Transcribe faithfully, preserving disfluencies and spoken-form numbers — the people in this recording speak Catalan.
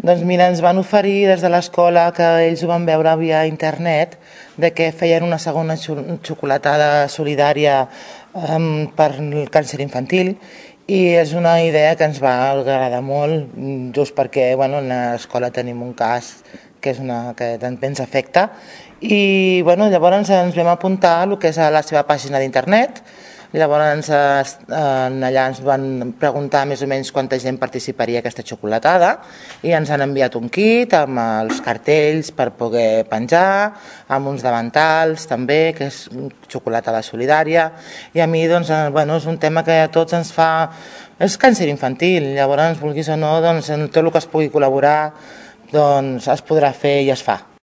Doncs mira, ens van oferir des de l'escola, que ells ho van veure via internet, de que feien una segona xocolatada solidària um, per el càncer infantil, i és una idea que ens va agradar molt, just perquè bueno, en l'escola tenim un cas que, és una, que també ens afecta, i bueno, llavors ens vam apuntar a el que és a la seva pàgina d'internet. Llavors allà ens van preguntar més o menys quanta gent participaria a aquesta xocolatada i ens han enviat un kit amb els cartells per poder penjar, amb uns davantals també, que és xocolatada solidària, i a mi doncs, bueno, és un tema que a tots ens fa... És càncer infantil, llavors vulguis o no, doncs, en tot el que es pugui col·laborar doncs, es podrà fer i es fa.